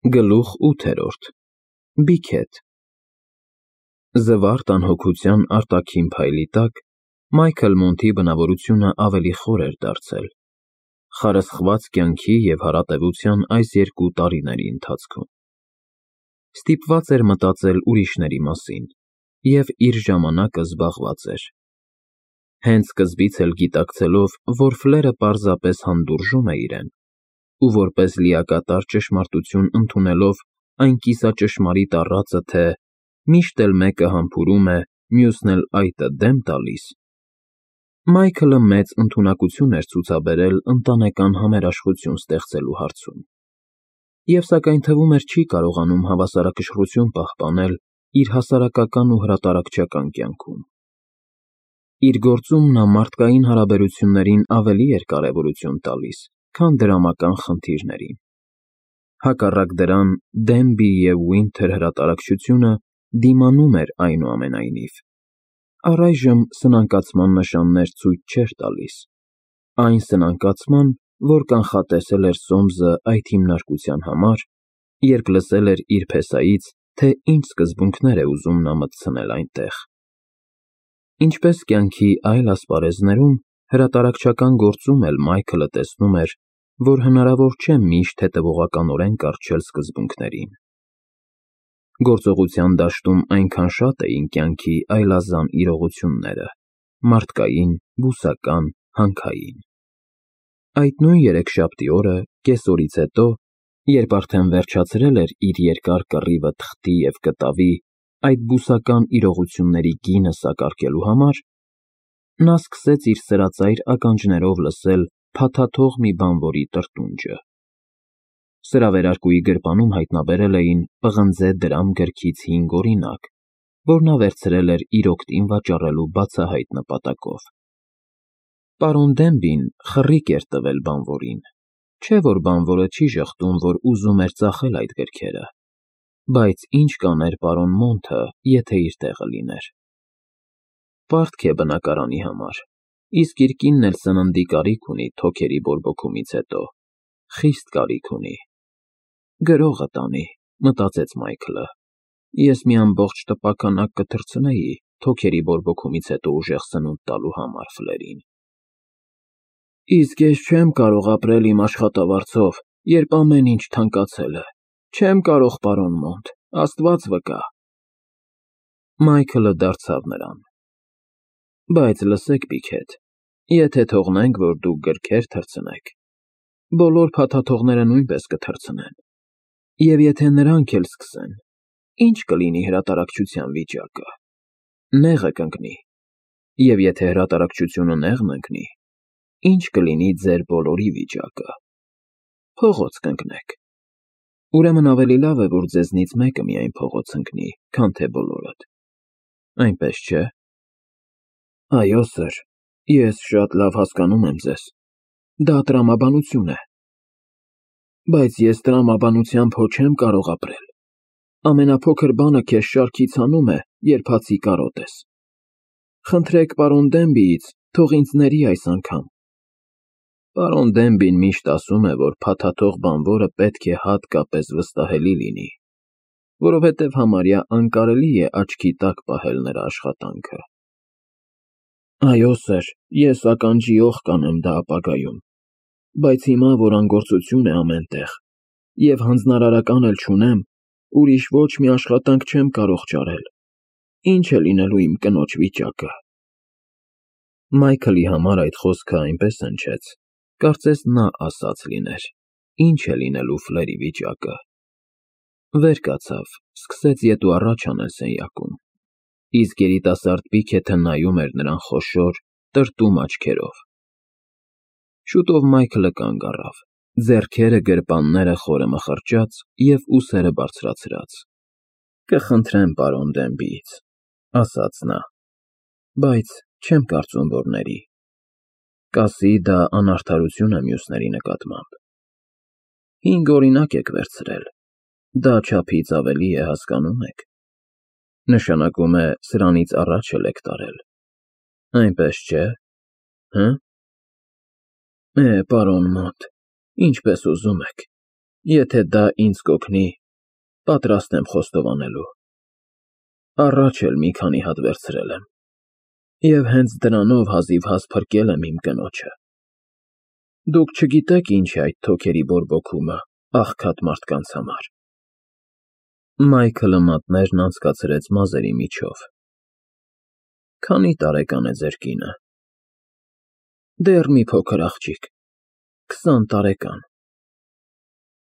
Գլուխ 8-րդ Բիքեթ Զվարթ անհոգության արտաքին փայլի տակ Մայքլ Մոնթի բնավորությունը ավելի խոր էր դարձել, խարսխված կյանքի և հարատևության այս 2 տարիների ընթացքում։ Ստիպված էր մտածել ուրիշների մասին և իր ժամանակը զբաղված էր։ Հենց սկզբից էլ գիտակցելով, որ ֆլերը պարզապես հանդուրժում է իրեն, ու որպես լիակատար ճշմարտություն ընդունելով այն կիսաճշմարիտ առածը, թե միշտ էլ մեկը համբուրում է, մյուսն էլ այտը դեմ տալիս, Մայքլը մեծ ընդունակություն էր ցուցաբերել ընտանեկան համերաշխություն ստեղծելու հարցում, և սակայն թվում էր չի կարողանում հավասարակշռություն պահպանել իր հասարակական ու հրատարակչական կյանքում։ Իր գործում նա մարդկային հարաբերություններին ավելի էր կարևորություն տալիս, քան դրամական խնդիրներին։ Հակառակ դրան, Դենբի և Ուինթեր հրատարակչությունը դիմանում էր այնուամենայնիվ, առայժմ սնանկացման նշաններ ցույց չէր տալիս, այն սնանկացման, որ կանխատեսել էր Սոմսը այդ հիմնարկության համար, երբ լսել էր իր փեսայից, թե ինչ սկզբունքներ է ուզում նա մտցնել այնտեղ։ Ինչպես կյանքի այլ ասպարեզներում, հրատարակչական գործում էլ Մայքլը տեսնում էր, որ հնարավոր չէ միշտ հետևողականորեն կառչել սկզբունքներին։ Գործողության դաշտում այնքան շատ էին կյանքի այլազան իրողությունները՝ մարդկային, բուսական, հանքային։ Այդ նույն երեքշաբթի օրը, կեսօրից հետո, երբ արդեն վերջացրել էր իր երկար կռիվը թղթի և կտավի, այդ բուսական իրողությունների գինը սակարկելու համար, նա սկսեց իր սրածայր ականջներով լսել փաթաթող մի բանվորի տրտունջը։ Սրա վերարկուի գրպանում հայտնաբերել էին պղնձե դրամ գրքից 5 օրինակ, որ նա վերցրել էր իր օգտին վաճառելու բացահայտ նպատակով։ Պարոն Դենբին խռիկ էր տվել բանվորին, չէ՞ որ բանվորը չի ժխտում, որ ուզում էր ծախել այդ գրքերը, բայց ինչ կաներ պարոն Մոնթը, եթե իր տեղը լիներ։ Պարտք է բնակարանի համար, իսկ իր կինն էլ սննդի կարիք ունի թոքերի բորբոքումից հետո, խիստ կարիք ունի։ Գրողը տանի, մտածեց Մայքլը, ես մի ամբողջ տպաքանակ կթռցնեի թոքերի բորբոքումից հետո ուժեղ սնունդ տալու համար ֆլերին։ Իսկ ես չեմ կարող ապրել իմ աշխատավարձով, երբ ամեն ինչ թանկացել է, չեմ կարող, պարոն Մոնթ, Աստված վկա։ Մայքլը դարձավ նրան. Բայց լսեք, Բիքեթ, եթե թողնենք, որ դուք գրքեր թռցնեք, բոլոր փաթաթողները նույնպես կթռցնեն, և եթե նրանք էլ սկսեն, ինչ կլինի հրատարակչության վիճակը։ Նեղը կընկնի, և եթե հրատարակչությունը նեղն ընկնի, ինչ կլինի ձեր բոլորի վիճակը։ Փողոց կընկնեք։ Ուրեմն ավելի լավ է, որ ձեզնից մեկը միայն փողոց ընկնի, քան թե բոլորդ։ Այնպես չէ՞։ Այո, սըր, ես շատ լավ հասկանում եմ ձեզ։ Դա տրամաբանություն է։ Բայց ես տրամաբանությամբ հո չեմ կարող ապրել։ Ամենափոքր բանը քեզ շարքից հանում է, երբ հացի կարոտ ես։ Խնդրեք պարոն Դենբիից, թող ինձ ների այս անգամ։ Պարոն Դենբին միշտ ասում է, որ փաթաթող բանվորը պետք է հատկապես վստահելի լինի, որովհետև համարյա անկարելի է աչքի տակ պահել նրա աշխատանքը։ Այո, սըր, ես ականջիոխ կանեմ դա ապագայում, բայց հիմա, որ անգործություն է ամեն տեղ, և հանձնարարական էլ չունեմ, ուրիշ ոչ մի աշխատանք չեմ կարող ճարել, ինչ է լինելու իմ կնոջ վիճակը։ Մայքլի համար այդ խոսքը այնպես հնչեց, կարծես նա ասած լիներ, ինչ է լինելու ֆլերի վիճակը։ Վեր կացավ, սկսեց ետ ու առաջ անել սենյակում, իսկ երիտասարդ Բիքեթը նայում էր նրան խոշոր, տրտում աչքերով։ Շուտով Մայքլը կանգ առավ, ձեռքերը գրպանները խորը մխրճած և ուսերը բարձրացրած։ Կխնդրեմ պարոն Դենբիից, ասաց նա, բայց չեմ կարծում, որ ների։ Կասի դա անարդարություն է մյուսների նկատմամբ։ 5 օրինակ եք վերցրել, դա չափից ավելի է, հասկանում եք։ Նշանակում է սրանից առաջ էլ եք տարել։ Այնպես չէ՞։ Պարոն Մոնթ, ինչպես ուզում եք։ Եթե դա ինձ կօգնի, պատրաստ եմ խոստովանելու։ Առաջ էլ մի քանի հատ վերցրել եմ, և հենց դրանով հազիվհազ փրկել եմ իմ կնոջը։ Դուք չգիտեք ինչ է այդ թոքերի բորբոքումը աղքատ մարդկանց համար։ Մայքլը մատներն անցկացրեց մազերի միջով։ Քանի տարեկան է ձեր կինը։ Դեռ մի փոքր աղջիկ, 20 տարեկան։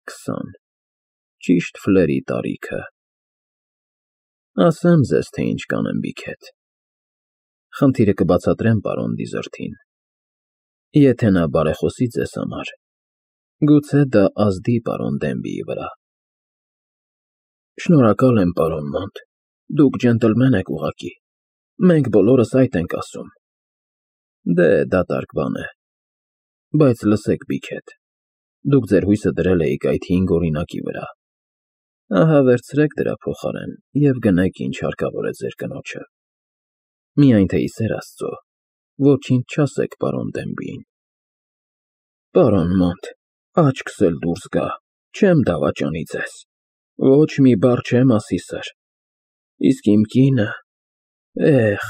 20, ճիշտ ֆլերի տարիքը։ Ասեմ ձեզ, թե ինչ կանեմ Բիքեթ։ Խնդիրը կբացատրեմ պարոն Դիզերթին։ Եթե նա բարեխոսի ձեզ համար, գուցե դա ազդի պարոն Դենբիի վրա։ Շնորհակալ եմ, պարոն Մոնտ, դուք ջենտլմեն եք ուղղակի, մենք բոլորս այդ ենք ասում։ Դե, դատարկ բան է։ Բայց լսեք, Բիքեթ, դուք ձեր հույսը դրել էիք այդ 5 օրինակի վրա։ Ահա վերցրեք դրա փոխարեն և գնեք ինչ հարկավոր է ձեր կնոջը։ Միայն թե ի սեր Աստծո, ոչինչ չասեք պարոն Դենբիին։ Պարոն Մոնտ, աչքս էլ դուրս գա, չեմ դավաճանի ձեզ։ Ոչ մի բառ չեմ ասի, սըր։ Իսկ իմ կինը, էխ…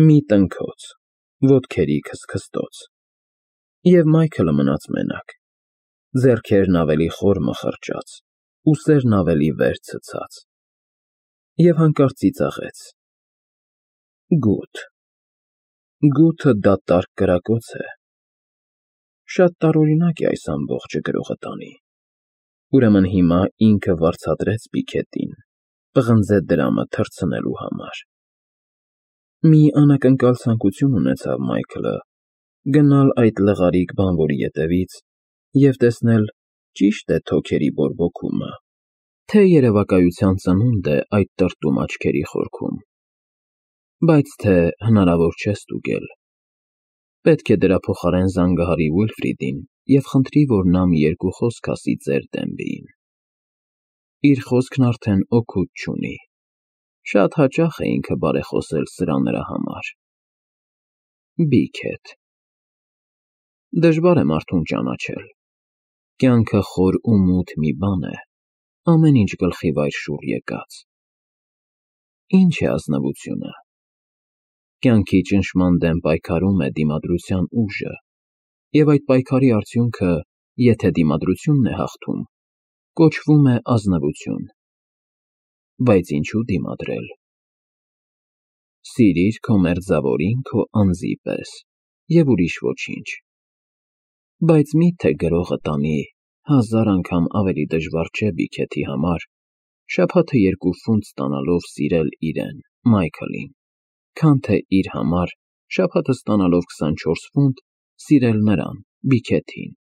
Մի տնքոց, ոտքերի քստքստոց։ Եվ Մայքլը մնաց մենակ, ձեռքերն ավելի խոր մխրճաց, ուսերն ավելի վեր ցցած։ Եվ հանկարծ ծիծաղեց. Գութ… Գութը դատարկ կրակոց է։ Շատ տարօրինակ է այս ամբողջը գրողը տանի։ Ուրեմն հիմա ինքը վարձատրեց Բիքետին, պղնձե դրամը թռցնելու համար։ Մի անակնկալ ցանկություն ունեցավ Մայքլը գնալ այդ լղարիկ բանվորի ետևից և տեսնել ճի՞շտ է թոքերի բորբոքումը, թե երևակայության ծնունդ է այդ տրտում աչքերի խորքում։ Բայց թե հնարավոր չէ ստուգել։ Պետք է դրա փոխարեն զանգահարի Ուիլֆրիդին և խնդրի, որ նա մի երկու խոսք ասի ծեր Դենբիին։ Իր խոսքն արդեն օգուտ չունի։ Շատ հաճախ է ինքը բարեխոսել սրա նրա համար։ Բիքեթ… Դժվար է մարդուն ճանաչել։ Կյանքը խոր ու մութ մի բան է, ամեն ինչ գլխի վայր շուռ եկած։ Ինչ է ազնվությունը։ Կյանքի ճնշման դեմ պայքարում է դիմադրության ուժը, և այդ պայքարի արդյունքը, եթե դիմադրությունն է հաղթում, կոչվում է ազնվություն։ Բայց ինչու դիմադրել։ Սիրիր քո մերձավորին քո անձի պես, և ուրիշ ոչինչ։ Բայց մի՞թե գրողը տանի, 1000 անգամ ավելի դժվար չէ Բիքեթի համար, շաբաթը 2 ֆունտ ստանալով սիրել իրեն, Մայքլին, քան թե իր համար, շաբաթը ստանալով 24 ֆունտ, սիրել նրան, Բիքեթին։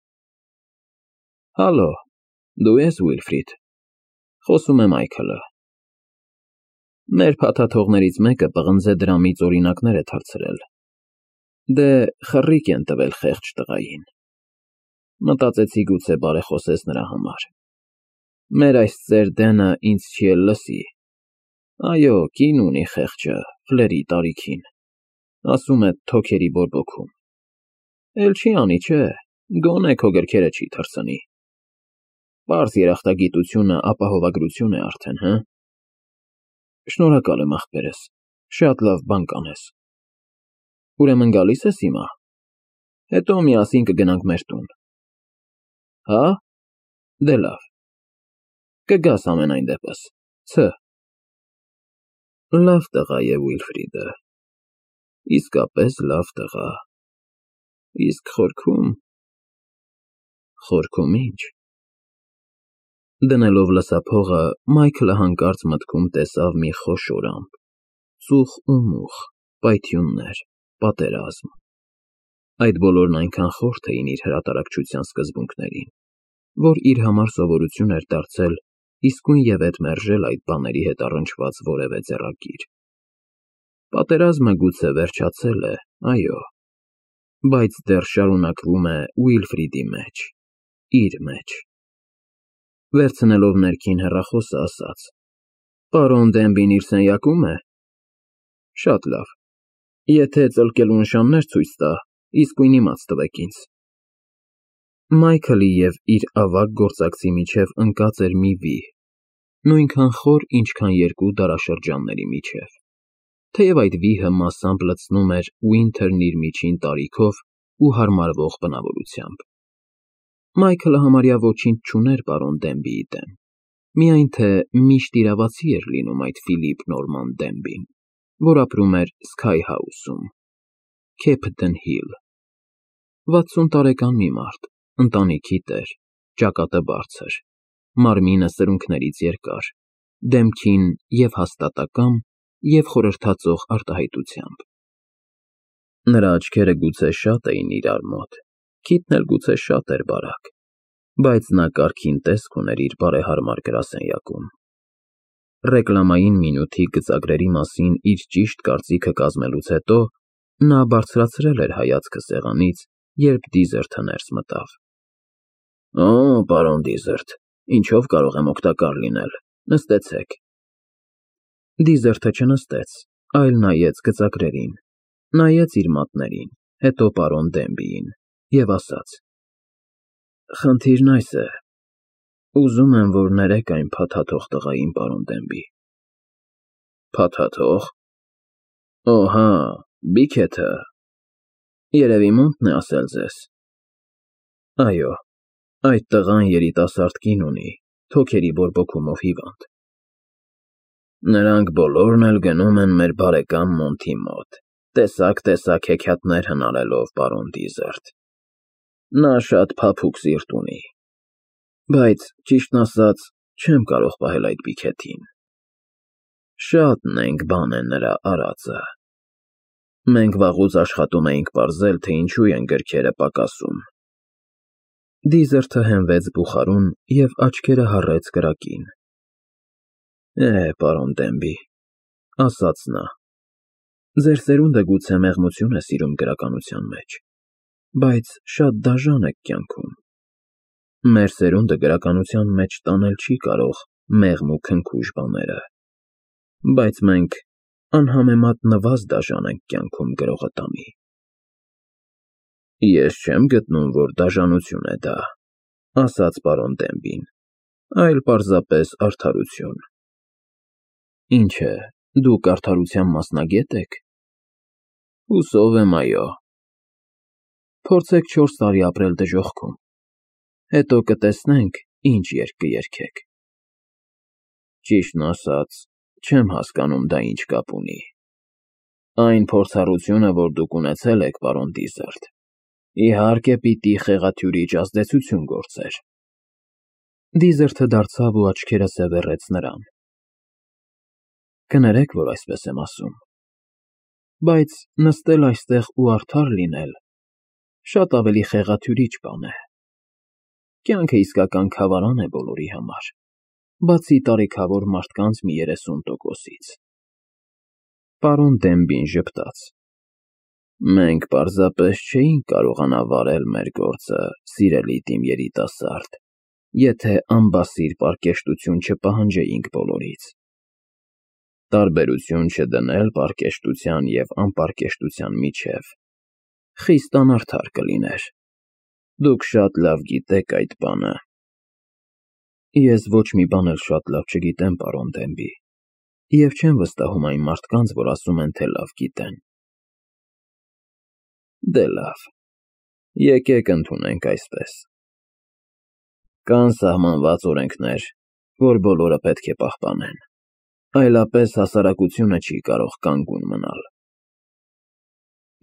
Հալո, դու ես Ուիլֆրիդ, խոսում է Մայքլը։ Մեր փաթաթողներից մեկը պղնձե դրամից օրինակներ է թռցրել։ Դե, խռիկ են տվել խեղճ տղային։ Մտածեցի գուցե բարեխոսես նրա համար։ Մեր այս ծեր Դենը ինձ չի էլ լսի։ Այո, կին ունի խեղճը, ֆլերի տարիքին։ Ասում է թոքերի բորբոքում։ Էլ չի անի, չէ, գոնե քո գրքերը չի թռցնի։ Պարզ երախտագիտությունը ապահովագրություն է արդեն, հը։ Շնորհակալ եմ, ախպերս, շատ լավ բան կանես։ Ուրեմն գալի՞ս ես հիմա։ Հետո միասին կգնանք մեր տուն։ Հա՞։ Դե լավ։ Կգաս ամենայն դեպս, ց. Լավ տղա է Ուիլֆրիդը։ Իսկապես լավ տղա։ Իսկ խորքում… Խորքում ի՞նչ։ Դնելով լսափողը, Մայքլը հանկարծ մտքում տեսավ մի խոշոր ամպ, ծուխ ու մուխ, պայթյուններ, պատերազմ։ Այդ բոլորն այնքան խորթ էին իր հրատարակչության սկզբունքներին, որ իր համար սովորություն էր դարձել իսկույնևեթ մերժել այդ բաների հետ առնչված որևէ ձեռագիր։ Պատերազմը գուցե վերջացել է, այո, բայց դեռ շարունակվում է Ուիլֆրիդի մեջ, իր մեջ։ Վերցնելով ներքին հեռախոսը, ասաց. Պարոն Դենբին իր սենյակո՞ւմ է։ Շատ լավ։ Եթե ծլկելու նշաններ ցույց տա, իսկույն իմաց տվեք ինձ։ Մայքլի և իր ավագ գործակցի միջև ընկած էր մի վիհ, նույնքան խոր, ինչքան երկու դարաշրջանների միջև, թեև այդ վիհը մասամբ լցնում էր Ուինթերն իր միջին տարիքով ու հարմարվող բնավորությամբ։ Մայքլը համարյա ոչինչ չուներ պարոն Դենբիի դեմ, միայն թե միշտ իրավացի էր լինում այդ Ֆիլիպ Նորման Դենբին, որ ապրում էր Սքայ Հաուսում, Քեփթեն Հիլ, 60 տարեկան մի մարդ, ընտանիքի տեր, ճակատը բարձր, մարմինը սրունքներից երկար, դեմքին և հաստատակամ, և խորհրդածող արտահայտությամբ։ Նրա աչքերը գուցե շատ էին իրար մոտ, քիթն էլ գուցե շատ էր բարակ, բայց նա կարգին տեսք ուներ իր բարեհարմար գրասենյակում։ Ռեկլամային մինութի գծագրերի մասին իր ճիշտ կարծիքը կազմելուց հետո նա բարձրացրել էր հայացքը սեղանից, երբ Դիզերթը ներս մտավ։ Օ, պարոն Դիզերթ, ինչով կարող եմ օգտակար լինել, նստեցեք։ Դիզերթը չնստեց, այլ նայեց գծագրերին, նայեց իր մատներին, հետո պարոն Դենբիին և ասաց. Խնդիրն այս է, ուզում եմ, որ ներեք այն փաթաթող տղային, պարոն Դենբի։ Փաթաթող։ Օ, հա, Բիքեթը։ Երևի Մոնտն է ասել ձեզ։ Այո, այդ տղան երիտասարդ կին ունի, թոքերի բորբոքումով հիվանդ։ Նրանք բոլորն էլ գնում են մեր բարեկամ Մոնտի մոտ, տեսակ հեքիաթներ հնարելով, պարոն Դիզերթ։ Նա շատ փափուկ սիրտ ունի, բայց, ճիշտն ասած, չեմ կարող պահել այդ Բիքեթին։ Շատ նենգ բան է նրա արածը։ Մենք վաղուց աշխատում էինք պարզել, թե ինչու են գրքերը պակասում։ Դիզերթը հենվեց բուխարուն և աչքերը հառեց կրակին։ Պարոն Դենբի, ասաց նա, ձեր սերունդը գուցե մեղմություն է սիրում գրականության մեջ, բայց շատ դաժան եք կյանքում։ Մեր սերունդը գրականության մեջ տանել չի կարող մեղմ ու քնքուշ բաները, բայց մենք անհամեմատ նվազ դաժան ենք կյանքում գրողը տանի։ Ես չեմ գտնում, որ դաժանություն է դա, ասաց պարոն Դենբին, այլ պարզապես արդարություն։ Ինչ է, դուք արդարության մասնագետ եք։ Հուսով եմ, այո։ Փորձեք 4 տարի ապրել դժոխքում, հետո կտեսնենք, ինչ երգ կերգեք։ Ճիշտն ասած, չեմ հասկանում դա ինչ կապ ունի։ Այն փորձառությունը, որ դուք ունեցել եք, պարոն Դիզերթ, իհարկե պիտի խեղաթյուրիչ ազդեցություն գործեր։ Դիզերթը դարձավ ու աչքերը սևեռեց նրան։ Կներեք, որ այսպես եմ ասում, բայց նստել այստեղ ու արդար լինել շատ ավելի խեղաթյուրիչ բան է։ Կյանքը իսկական քավարան է բոլորի համար, բացի տարիքավոր մարդկանց մի 30%-ից։ Պարոն Դենբին ժպտաց։ Մենք պարզապես չէինք կարողանա վարել մեր գործը, սիրելի իմ երիտասարդ, եթե անբասիր պարկեշտություն չպահանջեինք բոլորից։ Տարբերություն չդնել պարկեշտության և անպարկեշտության միջև խիստ անարդար կլիներ։ Դուք շատ լավ գիտեք այդ բանը։ Ես ոչ մի բան էլ շատ լավ չգիտեմ, պարոն Դենբի, և չեմ վստահում այն մարդկանց, որ ասում են, թե լավ գիտեն։ Դե լավ, եկեք ընդունենք այսպես. Կան սահմանված օրենքներ, որ բոլորը պետք է պահպանեն, այլապես հասարակությունը չի կարող կանգուն մնալ։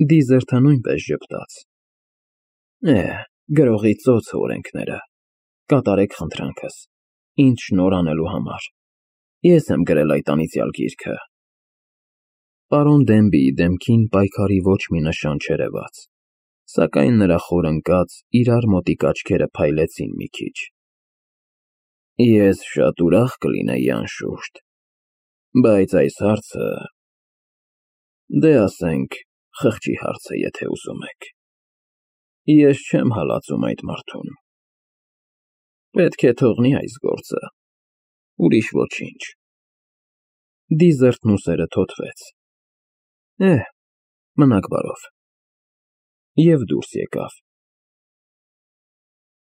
Դիզերթը նույնպես ժպտաց։ Գրողի ծոցը օրենքները, կատարեք խնդրանքս, ինձ շնորհ անելու համար, ես եմ գրել այդ անիծյալ գիրքը։ Պարոն Դենբիի դեմքին պայքարի ոչ մի նշան չերևաց, սակայն նրա խոր ընկած, իրար մոտիկ աչքերը փայլեցին մի քիչ։ Ես շատ ուրախ կլինեի, անշուշտ, բայց այս հարցը, դե ասենք, խղճի հարց է, եթե ուզում եք։ Ես չեմ հալածում այդ մարդուն։ Պետք է թողնի այս գործը, ուրիշ ոչինչ։ Դիզերթն ուսերը թոթվեց։ Մնաք բարով։ Եվ դուրս եկավ։